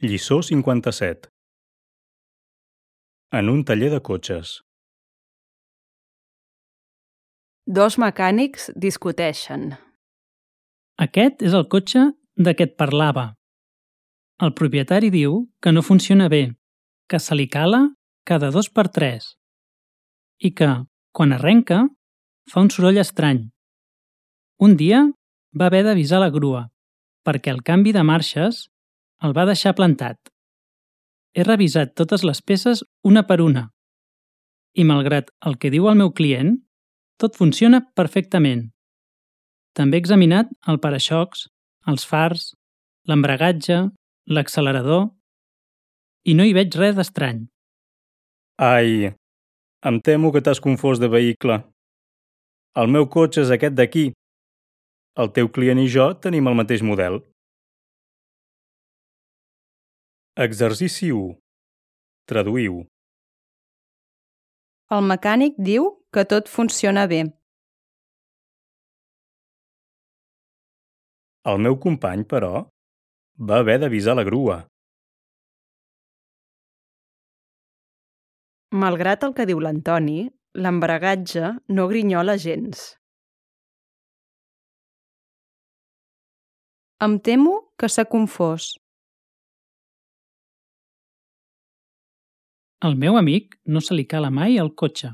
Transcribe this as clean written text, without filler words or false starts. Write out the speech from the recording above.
Lliçó 57. En un taller de cotxes. Dos mecànics discuteixen. Aquest és el cotxe de què et parlava. El propietari diu que no funciona bé, que se li cala cada 2x3 i que, quan arrenca, fa un soroll estrany. Un dia va haver d'avisar la grua perquè el canvi de marxes el va deixar plantat. He revisat totes les peces una per una i, malgrat el que diu el meu client, tot funciona perfectament. També he examinat el para-xocs, els fars, l'embragatge, l'accelerador i no hi veig res d'estrany. Ai, em temo que t'has confós de vehicle. El meu cotxe és aquest d'aquí. El teu client i jo tenim el mateix model. Exercici 1. Traduïu. El mecànic diu que tot funciona bé. El meu company, però, va haver d'avisar la grua. Malgrat el que diu l'Antoni, l'embragatge no grinyola gens. Em temo que s'ha confós. Al meu amic no se li cala mai el cotxe.